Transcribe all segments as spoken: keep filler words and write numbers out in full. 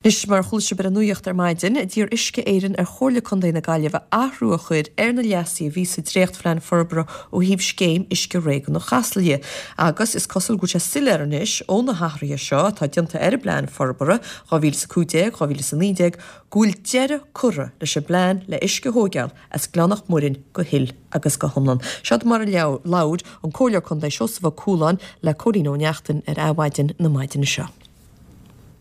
Anois mar a chuala sibh ar an nuacht ar maidin, d'iarr Uisce Éireann ar Chomhairle Contae na Gaillimhe athrú a chur ar na leasuithe a bhí sa dréachtphlean forbartha ó thaobh scéim uisce réigiúnach Chasla dhe. Agus is cosúil go bhfuil sé soiléir anois ó na hathruithe seo atá déanta ar an bplean forbartha dhá mhíle is a cúig déag, dhá mhíle is a naoi déag go bhfuil deireadh curtha leis an bplean le uisce a thóigeáil as Gleann Mhic Muirinn go huile agus go hiomlán. Seod mar a labhair an Comhairleoir Contae Seosamh Ó Cualáin le Cóilín Ó Neachtain ar Adhmhaidin na maidine seo.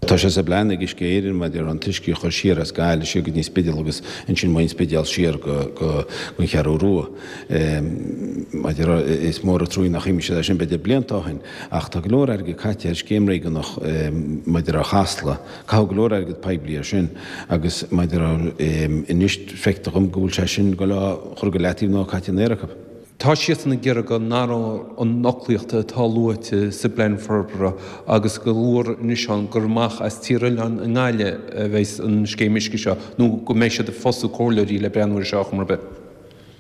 Tá sé sa bplean ag Uisce Éireann maidir an t-uisce a chur siar as Gaillimh siar go dtí an Spidéal agus ansin ón Spidéal siar go go an Cheathrú Rua. Maidir is mór an trua nach imigh siad sin b'fhéidir blianta ó shin ach tá go leor airgead caite ar scéim réigiúnach maidir ar Chasla, caitheadh go leor airgead poiblí ar sin agus maidir anois feictear dom go bhfuil sé sin go le chur go leataobh nó caite in aer acu. Tá siadsan ag iarraidh go n-athródh an fhoclaíocht atá luaite sa bplean forbartha agus go luafar anois ann gur amach as Tír Oileáin i nGaillimh a bheidh an scéim uisce seo nó go mbeidh siad ag fostú comhairleoirí le breathnú air seo chomh ar bith.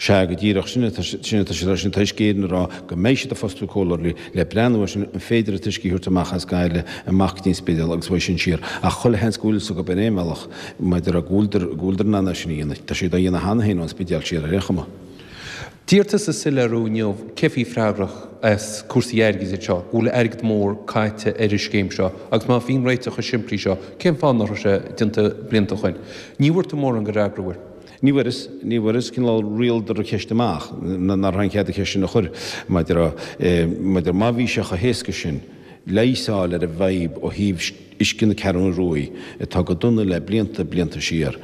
Sea, go díreach, sin atá sin atá siad sin tá Uisce Éireann ag rá go mbeidh siad ag fostú comhairleoirí le breathnú air sin an féidir an t-uisce a thabhairt amach as Gaillimh amach go dtí an Spidéal agus uaidh sin siar ach chuile sheans go bhfuil fhios acu ar aon bhealach maidir go bhfuiltear go bhfuiltear in ann é sin a dhéanamh. Tá siad á dhéanamh cheana féin ón Spidéal siar ar aon chuma. D'iarr tusa soiléiriú inniu cé bhí freagrach as cúrsaí airgid anseo, go bhfuil airgead mór caite ar an scéim seo agus má bhíonn réiteach chomh simplí seo, cén fáth nach raibh sé déanta blianta ó shin? Ní bhfuair tú mórán de fhreagra uair. Ní bhfuaireas, ní bhfuaireas cineál riail an cheist amach nach raibh an cead an cheist sin a chur maidir maidir má bhí sé chomh héasca sin leigheas a fháil ar an bhfadhb ó thaobh uisce na Ceathrún Rua atá go dona le blianta blianta siar.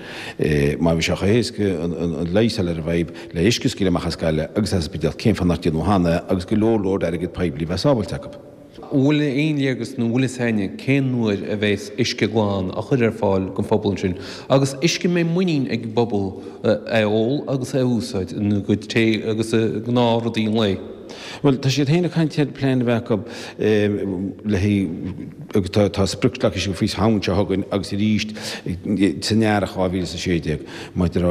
Má bhí sé chomh héasca an leigheas a fháil ar an bhfadhb le uisce a scaoileadh amach as Gaillimh agus as an Spidéal cén fáth nach déanadh cheana agus go leor leor airgead poiblí bheith sábháilte acu. Bhfuil aon léargas nó bhfuil fhios againne cén uair a bheas uisce glan á chur ar fáil don phobal ansin agus uisce a mbeidh muinín ag an bpobal é a ól agus é a úsáid ina gcuid tae agus i ngnáthrudaí an lae. Well tá siad féin ag caint ar plean a bheith acu le agus tá tá sprioc leagtha síos faoi Shamhain seo chugainn agus arís san earrach dhá mhíle is a sé déag maidir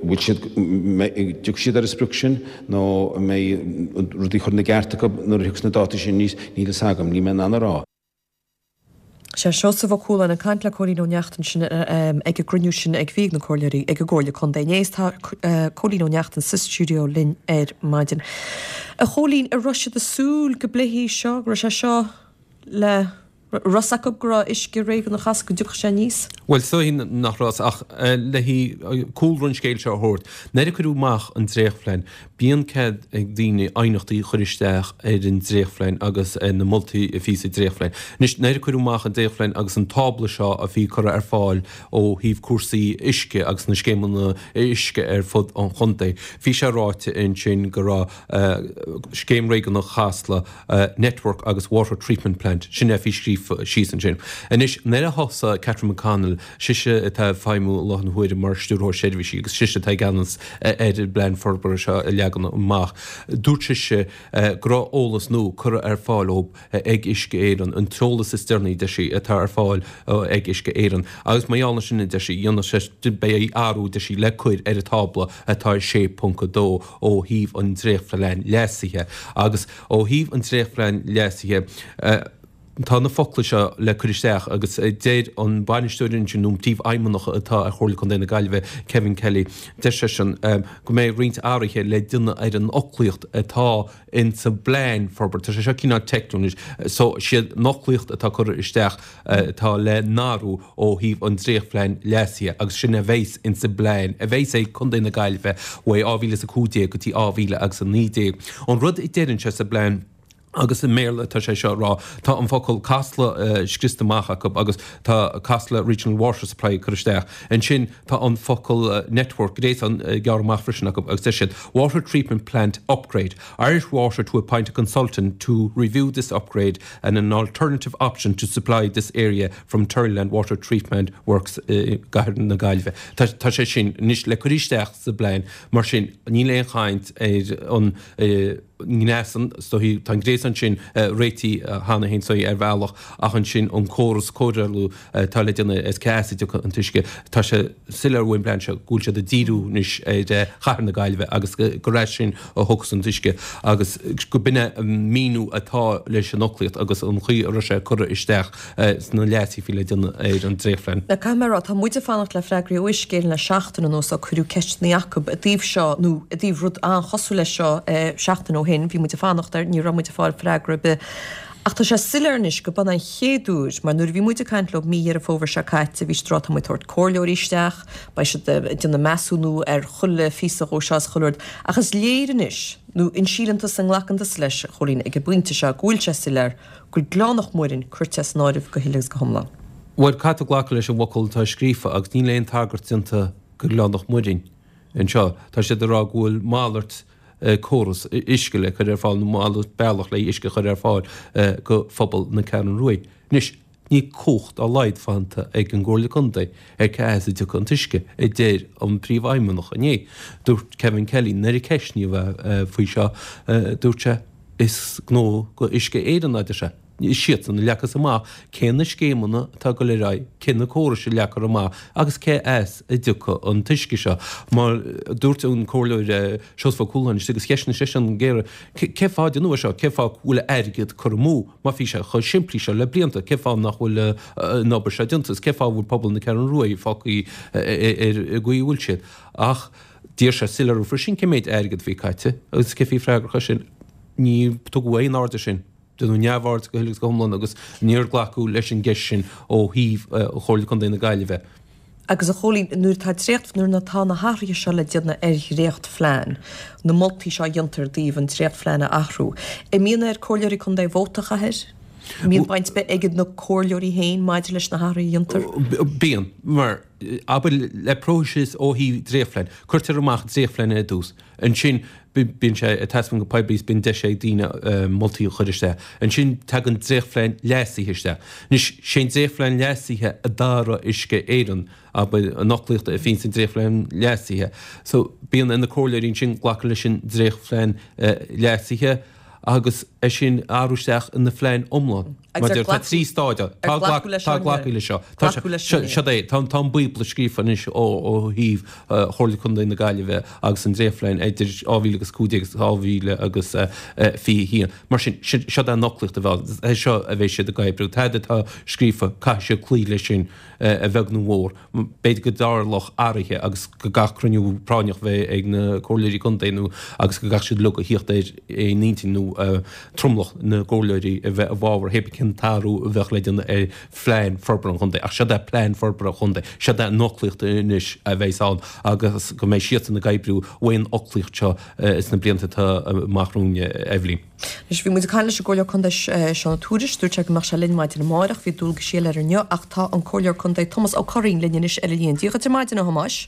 bhfuil siad dtiocfaidh siad ar an sprioc sin nó an mbeidh rudaí chur ina gceart acu nuair a thiocfas na dátaí sin níos níl fhios agam, níl mé in ann a rá. Sé Seosamh Ó Cualáin ag caint le Cóilín Ó Neachtain sin ag an gcruinniú sin ag bhí ag na comhairleoirí ag an gComhairle Contae inné. Tá Cóilín Ó Neachtain sa stiúideo linn ar maidin. A Chóilín, an raibh siad ag súil go bpléifí seo, go raibh sé seo le raibh fhios acu go raibh uisce réigiúnach Chasla go dtiocfadh sé aníos? Bhuel, is dóigh nach raibh ach le cúlra an scéil seo a thabhairt. Nuair a cuireadh amach an dréachtphlean, bíonn cead ag daoine aighneachtaí a chur isteach ar an dréachtphlean agus ar na moltaí a bhí sa dréachtphlean. Anois, nuair a cuireadh amach an dréachtphlean agus an tábla seo a bhí curtha ar fáil ó thaobh cúrsaí uisce agus na scéimeanna uisce ar fud an chontae, bhí sé ráite ansin go raibh scéim réigiúnach Chasla Network agus Water Treatment Plant, sin é a bhí scríofa síos ansin. Anois, nuair a thosaigh Catherine McConnell, sise atá ag feidhmiú i láthair na huaire mar stiúrthóir seirbhísí agus sise atá i gceannas ar an bplean forbartha seo a leagan amach, dúirt sise go raibh eolas nua curtha ar fáil ó ag Uisce Éireann, an t-eolas is deireanaí deir sí atá ar fáil ag Uisce Éireann. Agus mar gheall air sin deir sí, dhéanfaidh sé beidh athrú deir sí le cur ar an tábla atá sé ponc a dó ó thaobh an dréachtphlean leasaithe. Agus ó thaobh an dréachtphlean leasaithe, tá na focla seo le cur isteach agus deir an bainisteoir ansin nó an príomhfheidhmeannach atá ar Chomhairle Contae na Gaillimhe, Kevin Kelly, deir seisean go mbeidh roinnt athruithe le déanamh ar an fhoclaíocht atá in sa bplean forbartha. Tá sé seo cineál teicniúil anois. So siad an fhoclaíocht atá curtha isteach atá le n-athrú ó thaobh an dréachtphlean leasaithe agus sin a bheas in sa bplean a bheas ag Contae na Gaillimhe uaidh dhá mhíle is a cúig déag go dtí dhá mhíle agus a naoi déag. An rud a deireann sé sa bplean agus i mBéarla tá sé seo rá tá an focal Casla scriosta amach acu agus tá Casla Regional Water Supply curtha isteach. Ansin tá an focal network gréasán gearrtha amach freisin acu agus deir siad Water Treatment Plant Upgrade. Irish Water to appoint a consultant to review this upgrade and an alternative option to supply this area from Terryland Water Treatment Works gCathair na Gaillimhe. Tá tá sé sin anois le cur isteach sa bplean mar sin níl aon chaint ar an ngréasán, is dóichí, tá an gréasán sin réitithe cheana féin is dóichí ar bhealach ach ansin an córas cóireála atá le déanamh as cá as a dtiocfaidh an t-uisce. Tá sé soiléir ón bplean seo go bhfuil siad ag díriú anois ar chathair na Gaillimhe agus gur as sin a thiocfas an t-uisce agus go b'in é an míniú atá leis an fhoclaíocht agus an chaoi a raibh sé curtha isteach sna leasuithe a bhí le déanamh ar an dréachtphlean. Now caithfidh mé a rá, tá muid ag fanacht le freagraí ó Uisce Éireann le seachtain anuas ó cuireadh ceisteanna acu i dtaobh seo nó i dtaobh rud an-chosúil leis seo seachtain ó shin, bhí muid ag fanacht air, ní raibh muid ag fáil freagra ar bith. Ach tá sé soiléir anois go b'in an chéad uair, mar nuair a bhí muid ag caint leo mí Dheireadh Fómhair seo caite, bhí siad ag rá tá muid ag tabhairt comhairleoirí isteach, beidh siad ag déanamh measúnú ar chuile phíosa dhó seo is chuile rud. Ach is léir anois, nó an síleann tusa, an nglacann tusa leis, a Chóilín, ag an bpointe seo, go bhfuil sé soiléir go bhfuil Gleann Loch Muirinn curtha as an áireamh go huile agus go hiomlán. Bhuel, caithfidh tú glacadh leis an bhfocal atá scríofa agus níl aon tagairt déanta go Gleann Loch Muirinn anseo. Tá siad ag rá go bhfuil malairt córas uisce le cur ar fáil nó malairt bealach le uisce a chur ar fáil go phobal na Ceathrún Ruaidh. Anois, níl cumhacht dá laghad fanta ag an gComhairle Contae ar cá as a dtiocfaidh an t-uisce, a deir an Príomhfheidhmeannach inné. Dúirt Kevin Kelly, nuair a ceistníodh é faoi seo, dúirt sé, Is gnó go Uisce Éireann, a deir sé. Is iadsan a leagfas amach cé na scéimeanna atá ag dul ar aghaidh, cé na córais a leagfar amach agus cé as a dtiocfaidh an t-uisce seo. Mar a dúirt an Comhairleoir Seosamh Ó Cualáin agus cheistnigh seisean go géar, cé fáth a déanadh é seo, cé fáth go bhfuil airgead curtha amú, má bhí sé chomh simplí seo le blianta, cé fáth nach bhfuil an obair seo déanta agus cé fáth a bhfuil pobal na Ceathrún Ruaidh fágtha ar an gcaoi a bhfuil siad. Ach d'iarr sé soiléiriú freisin cé méid airgead a bhí caite agus cé a bhí freagrach as sin. Ní tugadh aon aird air sin. Déanadh neamhaird go huile agus go hiomlán agus níor glacadh leis an gceist sin ó thaobh Chomhairle Contae na Gaillimhe. Agus a Chóilín, nuair atá dréacht, nuair atá na hathruithe seo le déanamh ar dhréachtphlean, na moltaí seo a dhéantar i dtaobh an dréachtphlean a athrú, an mbíonn ar comhairleoirí contae vóta a chaitheamh air? An mbíonn baint ar bith ag na comhairleoirí féin maidir leis na hathruithe a dhéantar? Bíonn, mar, abair, le próiseas ó thaobh dréachtphlean, cuirtear amach dréachtphlean ar dtús, ansin bíonn sé ag taispeáint go poiblí is bíonn deis ag daoine moltaí a chur isteach. Ansin tagann dréachtphlean leasaithe isteach. Anois, sé an dréachtphlean leasaithe a d'athraigh Uisce Éireann, abair, an fhoclaíocht a bhíonn sa dréachtphlean leasaithe. So, bíonn ar na comhairleoirí ansin glacadh leis an dréachtphlean leasaithe agus é sin a athrú isteach ina phlean iomlán. Mar a deir, tá trí stáid ann. Tá glacadh leis seo. Tá sé, seo é, tá an Bíobla scríofa anois ó thaobh Chomhairle Contae na Gaillimhe agus an dréachtphlean idir dhá mhíle agus cúig déag agus dhá mhíle agus fiche a haon. Mar sin, seo é an fhoclaíocht a bheidh ann. É seo a bheidh siad ag oibriú. Tada atá scríofa, caithfidh siad cloí leis sin, a bheag nó a mhór. B'fhéidir go dtarlódh athruithe agus go gcaithfeadh cruinniú práinneach bheith ag na comhairleoirí contae nó agus go gcaithfeadh siad uilig a thíocht ar aon intinn nó tromlach na gcomhairleoirí a bheith i bhfabhar hé bith cén t-athrú a bheadh le déanamh ar phlean forbartha an chontae. Ach seod é plean forbartha an chontae, seod é an fhoclaíocht anois a bheas ann agus go mbeidh siadsan ag oibriú faoin fhoclaíocht seo sna blianta atá amach romhainn, Eibhlín. Anois, bhí muid ag caint leis an gComhairleoir Contae Seán Ó Tuairisg, dúirt sé go mbeadh sé linn maidin amárach, bhí dualgaisí eile air inniu ach tá an Comhairleoir Contae Tomás Ó Curraoin linn anois ar an líne. Dia dhuit ar maidin, a Thomáis.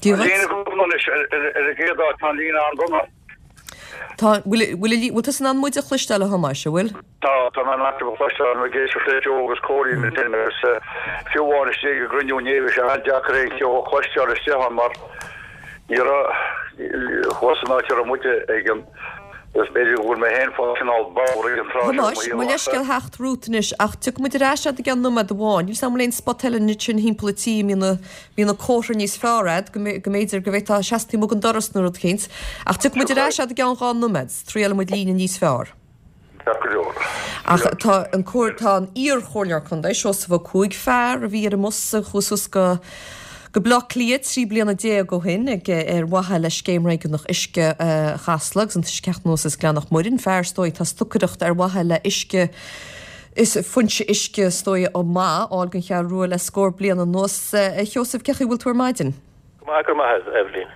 Dia dhuit. Tá an líne go dona anois ar an gcéad áit, tá an líne an-dona. Tá, bhfuil, bhfuil, bhfuil tusa in ann muid a chloisteáil, a Thomáis, an bhfuil? Tá, tá mé in ann sibh a chloisteáil, ag éisteacht le Joe agus Cóilín ansin agus fiú amháin istigh i gcruinniú inné bhí sé an-deacair aon cheo a chloisteáil istigh ann mar ní raibh, thuas san áit a raibh muide ag an, agus b'fhéidir go bhfuil mé féin fá chineál bodhar ag an tráth seo i mo Thomáis, mo leithscéal theacht romhat anois ach tiocfaidh muid ar ais agat i gceann nóiméad amháin. Níl 's agam an bhfuil aon spot eile ansin thimpeall an tí a mbíonn na, mbíonn an comhartha níos fearr agat, go mb'fhéidir go bhféadfá seasamh taobh amuigh den doras nó rud eicínt. Ach tiocfaidh muid ar ais agat i gceann dhá nóiméad, triailfidh muid líne níos fearr. Ceart go leor. Ach tá an comhair, tá an iar-chomhairleoir contae, Seosamh Ó Cuaig, fear a bhí ar an mbus a chuaigh suas go go Baile Átha Cliath trí bliana déag ó shin ag ar mhaithe le scéim réigiúnach uisce Chasla agus an t-uisce ag teacht anuas as Gleann Loch Muirinn, fear is dóigh atá ag stocaireacht ar mhaithe le uisce is foinse uisce is dóigh maith a fháil don Cheathrú Rua le scór bliain anuas. A Sheosaimh, cén chaoi a bhfuil tú ar maidin? Go maith, go raibh maith agat, Eibhlín.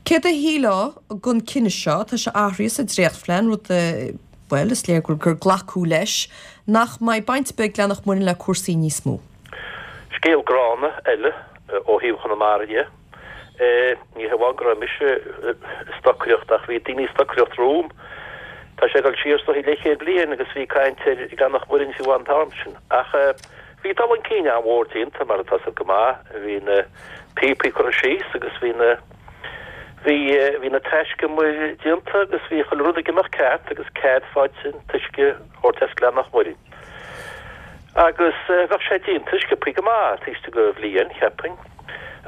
Céard a shílfeá den cinneadh seo? Tá sé athraithe sa dréachtphlean, rud a, bhuel, is léir gur glacadh leis, nach mbeidh baint ar bith ag Gleann Loch Muirinn le cúrsaí níos mó. Scéal gránna eile ó thaobh Chonamara dhe. Ní hamháin go raibh mise ag stocaireacht ach bhí daoine ag stocaireacht romham. Tá sé ag dul siar is dóichí leathchéad bliain agus bhí caint ar Ghleann Loch Muirinn fiú an t-am sin. Ach Bhí dul chun cinn an-mhór déanta, mar atá 's agat go maith. Bhí na píopaí curtha síos agus bhí na Bhí bhí na taiscumair déanta agus bhí chuile rud ag imeacht ceart agus cead faighte an t-uisce a thabhairt as Gleann an Mhuirinn. Agus bheadh sé déanta sciobthaí go maith taobh istigh de bhliain, cheapfainn,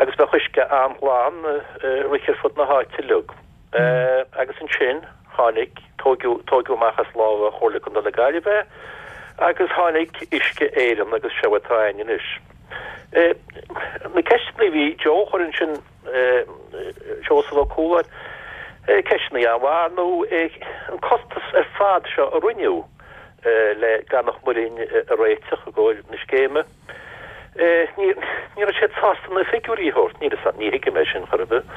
agus bheadh uisce an-ghlan ag rith ar fud na háite uilig. Agus ansin tháinig, tóigeadh, tóigeadh amach as lámha Chomhairle Contae na Gaillimhe é agus tháinig Uisce Éireann agus seo atá againn anois. Na ceisteanna a bhí Joe a chur ansin, Seosamh Ó Cualáin, ceisteanna an-mhaith, ar ndóigh, an costas ar fad seo a rinneadh le Gleann an Mhuirinn a réiteach i gcomhair na scéime, ní raibh siad sásta na figiúirí a thabhairt, níl a fhios agam, ní thuigim é sin chor ar bith.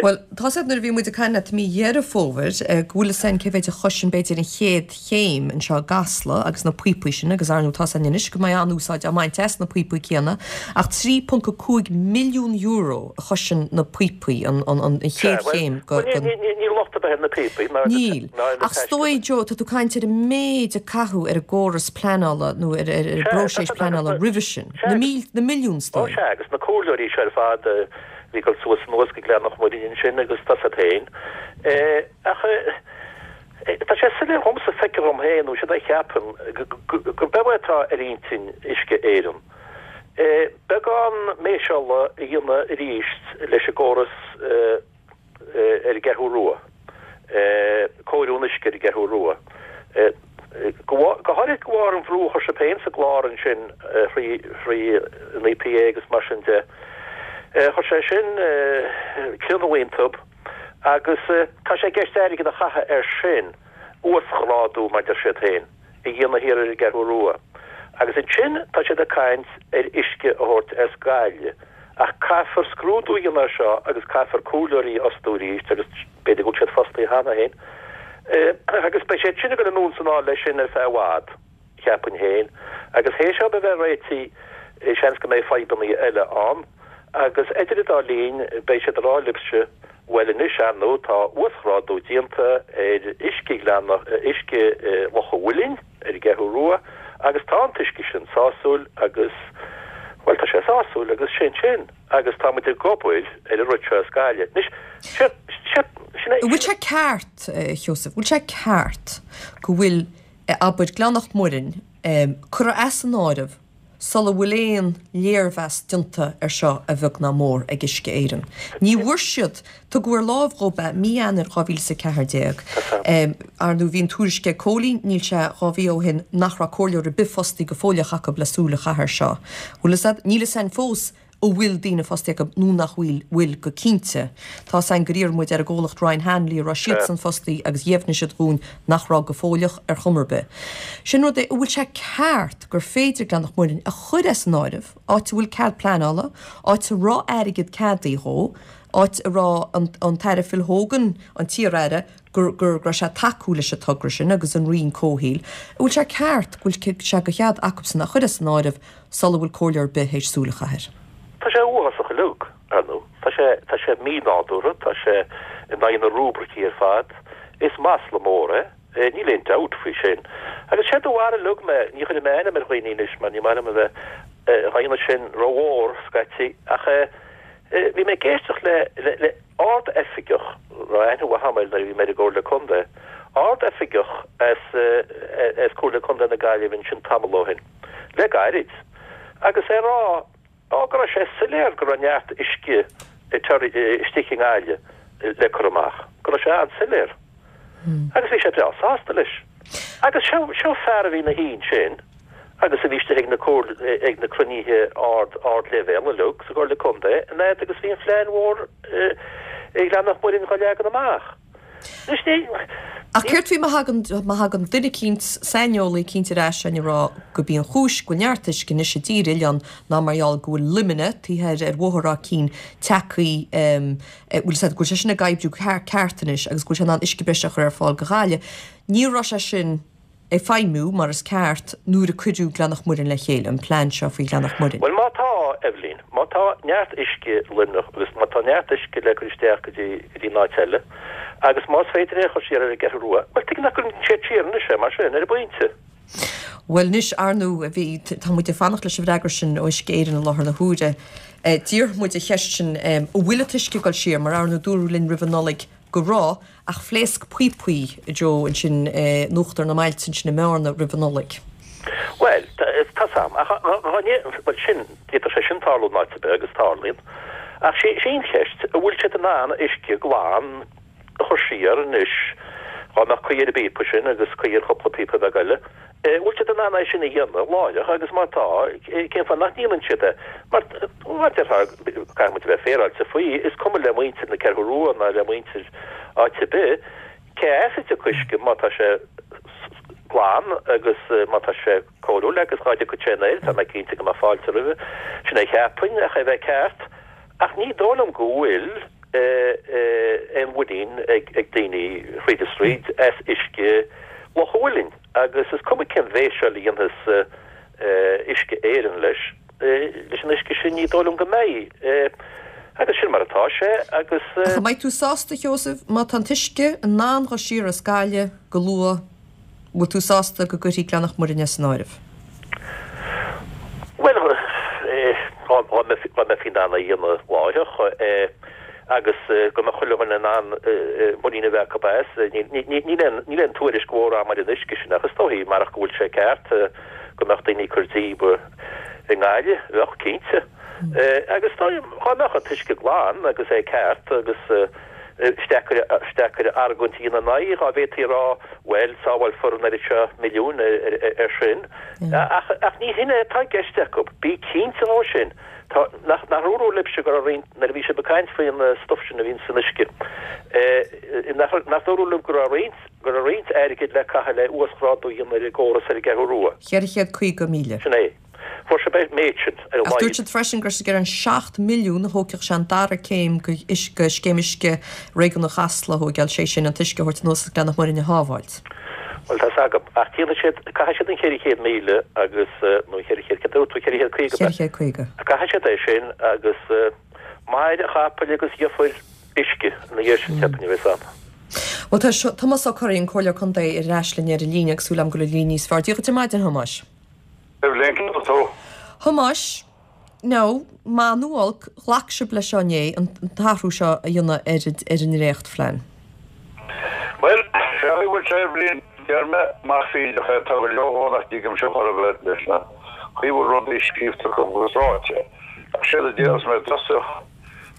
Bhuel, tá 's agat nuair a bhí muid ag caint leat i mí Dheireadh Fómhair, go bhfuil fhios againn cé mhéid a chosain b'fhéidir an chéad chéim anseo i gCasla agus na píopaí sin agus ar ndóigh tá 's againn anois go mbeidh an-úsáid á mbaint as na píopaí céanna ach trí ponc a cúig milliún euro a chosain na píopaí an an chéad chéim go Bhuel, níl locht ar bith ar na píopaí ná Níl. ná ar na Ach is dóigh Joe, tá tú ag caint ar an méid a caitheadh ar an gcóras pleanála nó ar ar an bpróiseas pleanála roimhe sin. Na míl na milliúin is Ó dóigh. sea, agus na comhairleoirí seo ar fad a bhí ag dul suas anuas go Gleann an Mhuirinn ansin agus tá 's agat féin. Ach tá sé soiléir dhomsa, feictear dhom féin, nó sin a cheapaim, gurb é atá ar intinn Uisce Éireann. Beagán méiseála a dhéanamh arís leis an gcóras ar an gCeathrú Rua, cóiriú an uisce ar an gCeathrú Rua. Go háirithe de bharr an bhrú a chuir sibh féin sa gclár ansin thrí thrí an EPA agus mar sin de. Chuir sé sin crionnadh iontub agus tá sé i gceist airgead a chaitheamh air sin, uasghrádú mar deir siad féin, a dhéanamh thiar ar an gCeathrú Rua. Agus ansin tá siad ag caint ar uisce a thabhairt as Gaillimh. Ach caithfear scrúdú a dhéanamh air seo agus caithfear comhairleoirí a fhostú arís agus b'fhéidir go bhfuil siad fostaithe cheana féin. Agus beidh siad sin ag dul anonn is anall leis sin ar feadh i bhfad, cheapfainn féin. Agus théis seo a bheith réitithe, seans go mbeidh fadhbanna eile ann. Agus idir an dá linn, beidh siad ag rá libhse, bhuel anois, ar ndóigh, tá uasghrádú déanta ar uisce Ghleann, uisce Loch an Mhuilinn ar an gCeathrú Rua agus tá an t-uisce sin sásúil agus, bhuel, tá sé sásúil agus sin sin. Agus tá muid ag obair ar an rud seo as Gaillimh. Anois, sin, sin, sin é. An bhfuil sé ceart, a Sheosaimh, bhfuil sé ceart go bhfuil, abair, Gleann Mhuirinn curtha as an áireamh sula bhfuil aon léirmheas déanta ar seo a bheag ná mór ag Uisce Éireann? Ní bhfuair siad, tugadh ar láimh dhóibh é mí Eanáir dhá mhíle is a ceathair déag. Ar ndóigh bhí an tuairisc ag Cóilín, níl sé dhá mhí ó shin, nach raibh comhairleoir ar bith fostaí go fóilleach acu le súil a chaitheamh air seo. Bhfuil fhios a'd, níl fhios a'inn fós an bhfuil daoine fostaí acu nó nach bhfuil, bhfuil go cinnte. Tá 's a'inn gur iarr muid ar an gcomhlacht Ryan Hanley an raibh siadsan fostaí agus dheimhnigh siad dhúinn nach raibh go fóilleach ar chuma ar bith. Sin rud é, an bhfuil sé ceart gur féidir Gleann Mhuirinn a chur as an áireamh, áit a bhfuil cead pleanála, áit a raibh airgead ceadaithe dhó, áit a raibh an, an tAire Phil Hogan, an t-iar-aire, gur, gur, go raibh sé ag tacú leis an togra sin agus an Roinn Comhshaoil, an bhfuil sé ceart go bhfuil sé de chead acubsan a chur as an áireamh sula bhfuil comhairleoir ar bith théis súil a chaitheamh air? Tá sé uafásach uilig, ar ndóigh. Tá sé, tá sé mínádúrtha, tá sé in aghaidh na rúibricí ar fad. Is masla mór é. Níl aon dabht faoi sin. Agus séard a mharaigh uilig mé, ní chuirfidh mé ainm ar dhaoine anois mar ní maith liom a bheith á dhéanamh sin rómhór scaití, ach bhí mé ag éisteacht le, le, le ard-oifigeach, raibh aithne mhaith agam air nuair a bhí mé ar an gComhairle Contae, ard-oifigeach as, as Comhairle Contae na Gaillimhe ansin tamall ó shin, le gairid, agus é ag rá, á, go raibh sé soiléir go raibh neart uisce istigh i nGaillimh le cur amach, go raibh sé an-soiléir. Agus bhí sé breá sásta leis. Agus seo, seo fear a bhí ina shuí ansin agus a bhí istigh ag na comhairle, ag na cruinnithe ard, ardleibhéal uilig sa gComhairle Contae an fhaid agus bhí an phlean mhór i Gleann Mhuirinn dhá leagan amach. Anois ní, Ach céard faoi má thagann, má thagann duine eicínt, saineolaí eicínt ar ais ag rá gurb í an chúis go bhfuil neart uisce anois i dTír Oileáin ná mar gheall go bhfuil Luimne, taobh thoir ar Bhóthar Ráth Cinn, tagtha, bhfuil 'fhios a'd, go bhfuil sé sin ag oibriú ceart anois agus go bhfuil sé in ann uisce breise a chur ar fáil go Gaillimh. Ní raibh sé sin ag feidhmiú mar is ceart nuair a cuireadh Gleann Mhuirinn le chéile, an plean seo faoi Ghleann Mhuirinn. Bhuel, má tá, Eibhlín, má tá neart uisce i Luimneach agus má tá neart uisce le cur isteach go dtí, go dtí an áit eile agus más féidir é a chur siar ar an gCeathrú Rua, bhuel, tuige nach gcuireann siad siar anois é mar sin, ar an bpointe? Bhuel anois, ar ndóigh, bhí, tá muid ag fanacht leis an bhfreagra sin ó Uisce Éireann i láthair na huaire. D'iarr muid an cheist sin, an bhfuil an t-uisce ag dul siar, mar ar ndóigh dúradh linn roimh an Nollaig go raibh, ach phléasc píopaí, a Joe, ansin in uachtar na mbailte ansin i mBearna roimh an Nollaig. Bhuel, tá 's a'm, ach bhuel sin, d'fhéadfadh sé sin tarlú in áit ar bith agus tarlaíonn. Ach sé an cheist, an bhfuil siad in ann uisce glan a chur siar anois, dhá mbeadh caoi ar an bpíopa sin agus caoi ar chúpla píopa beag eile, an bhfuil siad in ann é sin a dhéanamh láithreach agus má tá, cén fáth nach ndéanann siad é? Mar, mar a déarfá, caithfidh muid a bheith féaráilte faoi, is cuma le muintir na Ceathrú Rua ná le muintir áit ar bith cé as a dtiocfaidh uisce má tá sé glan agus má tá sé cóiriúil agus dhá dtiocfadh sé anoir, tá mé cinnte go mbeadh fáilte roimhe. Sin é a cheapfainn, ach é a bheith ceart. Ach ní dóigh liom go bhfuil aon mhuinín ag daoine thríd is thríd as uisce Loch a' Mhuilinn agus is cuma cén mhéasail a dhéanfas Uisce Éireann leis, leis an uisce sin, ní dóigh liom go mbeidh. Agus sin mar atá sé agus. Ach an mbeidh tú sásta, a Sheosaimh, má tá an t-uisce in ann dhul siar as Gaillimh go luath, bhfuil tú sásta go gcuirfí Gleann Mhuirinn as an áireamh? Bhuel, dá mbeifí in ann é a dhéanamh láithreach agus go mbeadh chuile dhuine in ann muinín a bheith acu as, níl aon tuairisc mhór agam ar an uisce sin ach is dóichí, marach go bhfuil sé ceart, go mbeadh daoine ag cur díobh i nGaillimh, bheadh, cinnte. Agus dá mbeadh an t-uisce glan agus é ceart agus is deacair, is deacair argóint a dhéanamh ina aghaidh, dhá bhféadfaí a rá, bhuel, sábhálfar an oiread seo milliúin ar sin. Ach, ach ní hin é atá i gceist acu. Bí cinnte dhó sin. Tá, nach, nach ndúradh libhse go raibh roinnt, nuair a bhí sibh ag caint faoin stuif sin a bhíonn san uisce, nach, nach ndúradh libh go raibh roinnt, go raibh roinnt airgid le caitheamh le uasghrádú a dhéanamh ar an gcóras ar an gCeathrú Rua. Ceithre chéad caoga míle. Sin é. Fuair sibh an méid sin, ar a Ach dúirt laghad. siad freisin go raibh siad ag iarraidh an seacht milliún a thógfadh sé an dara céim de scéim uisce réigiúnach Chasla a thóigeáil, sé sin, an t-uisce a thabhairt anuas as Gleann Mhuirinn a shábháilt. Bhuel, tá's agam. Ach déanfaidh siad, caithfidh siad an ceithre chéad míle agus, nó an ceithre chéad, céard a dúirt tú, ceithre chéad caoga, Ceithre chéad caoga. Caithfidh siad é sin agus mair a chapaill agus gheofar uisce ina dhiaidh sin, cheapfainn, a bheas ann. Bhuel, tá Tomás Ó Curraoin, Comhairleoir Contae, ar ais linn ar an líne agus súil agam go bhfuil an líne níos fearr. Dia dhuit ar maidin, a Thomáis. Evelyn, Cén chaoi a bhfuil tú? Thomáis, Now, maith nó olc, ghlac sibh leis seo inné, an t-athrú seo a dhéanamh ar ar an ndréachtphlean. Bhuel, sé an chaoi a bhfuil sé, Evelyn, déarfaidh mé, más fírinneach é, tá go leor dhó nach dtuigimse chor ar bith leis na chaoi a bhfuil rudaí scríobhta acu agus ráite. Ach séard a déarfas mé i dtosach,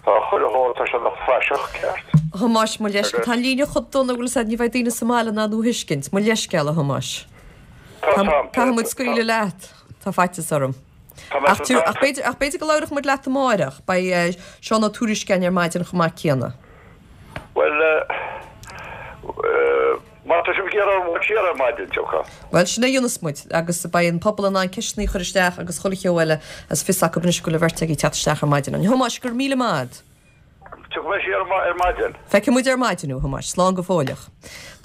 tá chuile shórt, tá sé ina phraiseach ceart. A Thomáis, mo leithscéal, tá an líne chomh dona go bhfuil 'fhios a'd, ní bheidh daoine sa mbaile in ann thú a thuiscint. Mo leithscéal, a Thomáis. Caithfidh muid scaoileadh leat. Tá faitíos orm. Ach b'fhéidir go labhróidh muid leat amáireach. Beidh Seán Ó Tuairisg againn ar maidin chomh maith céanna. Bhuel, má tá sibh ag iarraidh orm siar ar maidin, tiocfaidh. Bhuel, sin é a dhéanfas muid. Agus beidh an pobal in ann ceisteanna a chur isteach agus chuile cheo eile agus fios acu anois go bhfuil an bheirt agaibh ag teacht isteach ar maidin. A Thomáis, go raibh míle maith a'd. Tiocfaidh mé siar ar maidin. Feicfidh muid ar maidin thú, a Thomáis. Slán go fóilleach.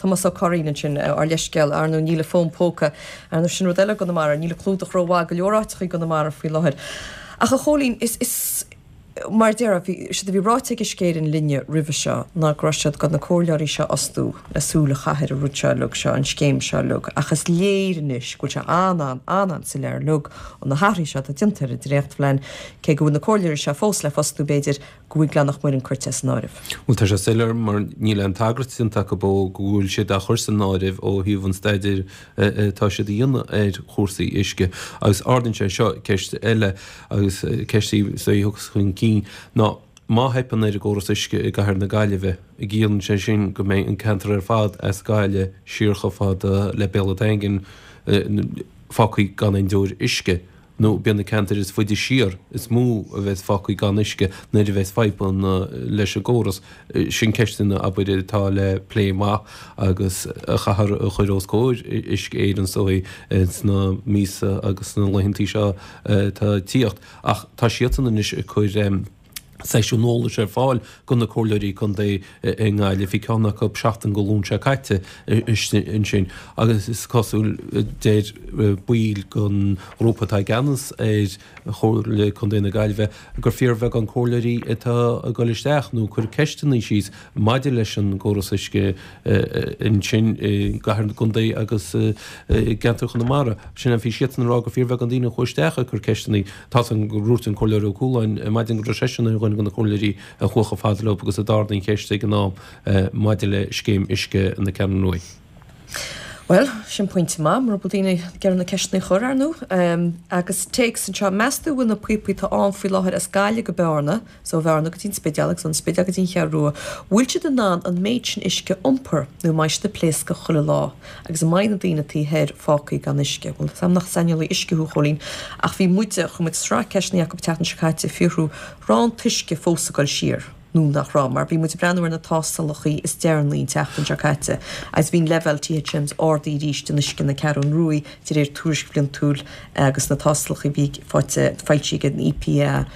Tomás Ó Curraoin ansin, ár leithscéal. Ar ndóigh, níl an fón póca. Ar ndóigh, sin rud eile i gConamara, níl an clúdach rómhaith go leor áiteacha i gConamara faoi láthair. Ach a Chóilín, is, is, mar a déarfá, bhí, séard a bhí ráite ag Uisce Éireann linne roimhe seo ná go raibh siad chun na comhairleoirí seo a fhostú le súil a chaitheamh ar an rud seo uilig seo, an scéim seo uilig. Ach is léir anois go bhfuil sé an-, an-, an-soiléir uilig ó na hathruithe seo atá déanta ar an dréachtphlean, cé go bhfuil na comhairleoirí seo fós le fostú, b'fhéidir, go bhfuil Gleann Mhuirinn curtha as an áireamh. Bhuel, tá sé soiléir mar níl aon tagairt déanta acu ó go bhfuil siad á chur san áireamh ó thaobh an staidéir atá siad a dhéanamh ar chúrsaí uisce. Agus ardaíonn sé seo ceist eile agus ceist í a thiocfas chun cinn ná má theipeann ar an gcóras uisce i gcathair na Gaillimhe, an gciallaíonn sé sin go mbeidh an ceantar ar fad as Gaillimh siar chomh fada le Béal an Daingin fágtha gan aon deoir uisce? nó b'iad na ceantair is faide siar is mó a bheas fágtha gan uisce nuair a bheas fadhbanna leis an gcóras. Sin ceisteanna, abair, atá le plé amach agus a chaithfear a chur os comhair Uisce Éireann is dóigh sna míosa agus sna laethantaí seo atá ag tíocht. Ach tá siadsan anois ag cur. seisiún eolais ar fáil do na comhairleoirí contae i nGaillimh. Bhí ceann acu seachtain go Luan seo caite ansin agus is cosúil, deir baill den ghrúpa atá i gceannas ar Chomhairle Contae na Gaillimhe, gur fíorbheagán comhairleoirí atá ag dul isteach nó ag cur ceisteanna síos maidir leis an gcóras uisce ansin i gcathair na contae agus i gceantar Chonamara. Sin bhí siadsan ag rá gur fíorbheagán daoine a chuaigh isteach ag cur ceisteanna. Tá san gur dhúirt an Comhairleoir Ó Cualáin ar maidin go raibh seisean ar dhuine de na comhairleoirí a chuaigh chomh fada leo agus a d'ardaigh an cheist ag an am maidir le scéim uisce na Ceathrún Ruaidh. Bhuel, sin pointe maith, mura bhfuil daoine ag iarraidh na ceisteanna a chur, ar ndóigh. Agus téacs anseo, meas tú an bhfuil na píopaí atá ann faoi láthair as Gaillimh go Bearna, is ó Bhearna go dtí an Spidéal agus ón Spidéal go dtí an Cheathrú Rua, bhfuil siad in ann an méid sin uisce a iompar nó an mbeidh siad ag pléascadh chuile lá agus an mbeidh na daoine taobh thoir fágtha gan uisce? Bhuel, tá nach saineolaí uisce thú, a Chóilín, ach bhí muide, chuir muid sraith ceisteanna chucu an tseachtain seo caite ag fiafraí an raibh an t-uisce fós ag dul siar. nó nach raibh, mar bhí muid ag breathnú ar na tástálacha is deireanaí an tseachtain seo caite agus bhí an leibhéal THMs ardaithe arís in uisce na Ceathrún Ruaidh de réir tuairisc bhliantúil agus na tástálacha a bhí faighte foilsithe ag an EPA.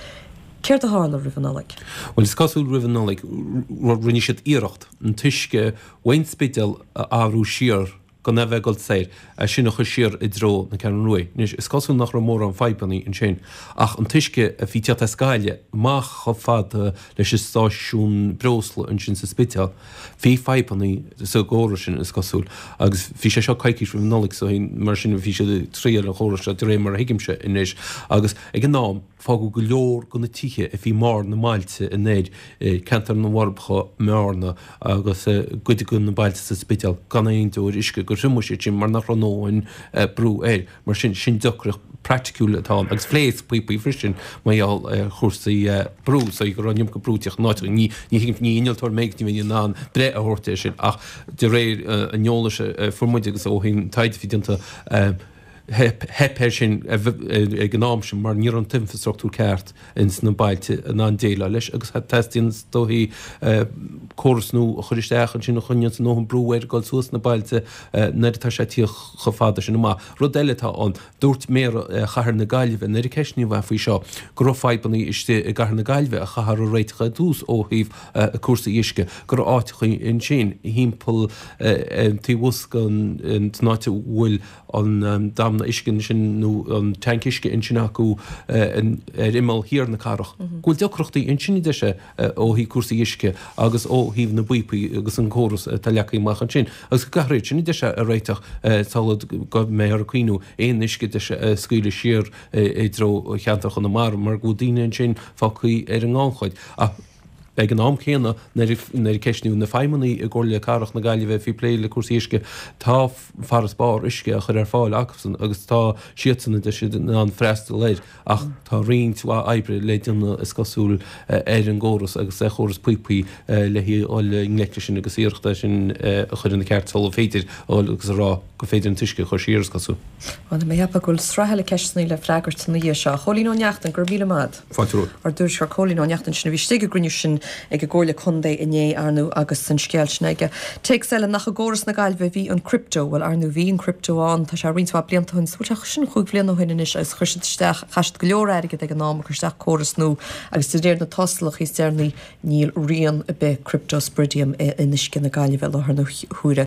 Céard a tharla roimh an Nollaig? Bhuel, is cosúil roimh an Nollaig, rinne siad iarracht an t-uisce ón Spidéal a athrú siar gan é bheith ag dul soir, é sin a chur siar i dtreo na Ceathrún Ruaidh. Anois, is cosúil nach raibh mórán fadhbanna ansin, ach an t-uisce a bhí ag teacht as Gaillimh amach chomh fada leis an stáisiún breosla ansin sa Spidéal, bhí fadhbanna sa gcóras sin, is cosúil. Agus bhí sé seo coicís roimh an Nollaig, so mar sin bhí siad ag triail an chórais seo, de réir mar a thuigimse anois. Agus ag an am, fágadh go leor de na tithe a bhí i mbarr na mbailte anoir, ceantar na bhForbacha, mBearna agus cuid de na bailte sa Spidéal gan aon deoir uisce, gur thriomaigh siad sin mar nach raibh a ndóthain brú air. Mar sin, sin deacracht praiticiúil atá ann agus phléasc píopaí freisin mar gheall ar chúrsaí brú, so go raibh an iomarca brú ag teacht in áiteacha. Ní thuigim, ní innealtóir mé agus ní bheinn in ann breith a thabhairt air sin ach de réir an eolais a fuair muid agus ó thaobh taighde a bhí déanta, Theip air sin ag an am sin mar ní raibh an t-infreastruchtúr ceart ins na bailte in ann déileáil leis agus teastaíonn is dóichí córas nua a chur isteach ansin a choinneodh a ndóthain brú air dul suas na bailte nuair atá sé ag tíocht chomh fada sin amach. Rud eile atá ann, dúirt Méara Chathair na Gaillimhe nuair a ceistníodh é faoi seo go raibh fadhbanna istigh i gCathair na Gaillimhe a chaithfear a réiteach ar dtús ó thaobh cúrsaí uisce, go raibh áiteachaí ansin thimpeall taobh thuas den áit a bhfuil an damhna uisce ansin nó an tanc uisce ansin acu ar imeall thiar na cathrach, go bhfuil deacrachtaí ansin a deir sé ó thaobh cúrsaí uisce agus ó thaobh na bpíopaí agus an córas atá leagtha amach ansin agus go gcaithfear iad sin a deir sé a réiteach sula go mbeifear ag cuimhniú aon uisce a deir sé a scaoileadh siar i dtreo cheantar Chonamara mar go bhfuil daoine ansin fágtha ar an ngannchuid. Ach Ag an am céanna, nuair a ceistníodh na feidhmeannaigh i gComhairle Cathrach na Gaillimhe a bhí ag plé le cúrsaí uisce, tá farasbarr uisce á chur ar fáil acusan agus tá siadsan, a deir siad, in ann freastal air ach tá roinnt mhaith oibre le déanamh, is cosúil, ar an gcóras agus ar chóras píopaí le dhul i ngleic leis sin agus iarracht é sin a chur ina cheart sular féidir a dhul agus a rá gur féidir an t-uisce a chur siar, is cosúil. Bhuel, tá mé ag ceapadh go bhfuil sraith eile ceisteanna le freagairt ina dhiaidh seo. A Chóilín Ó Neachtain, go raibh míle maith agat. Fáilte romhat. Ár dtuairisceoir Cóilín Ó Neachtain sin a bhí istigh ag an gcruinniú sin ag an gComhairle Contae inné, ar ndóigh, agus an scéal sin aige. Téacs eile, nach i gcóras na Gaillimhe a bhí an crypto? Bhuel, ar ndóigh, bhí an crypto ann, tá sé roinnt mhaith blianta ó shin, bhuel, tá sin chúig bhliana ó shin anois agus chuir siad isteach, chaith siad go leor airgid ag an am ag cur isteach córas nua agus de réir na tástálacha is deireanaí níl rian ar bith cryptosporidium in uisce na Gaillimhe i láthair na huaire.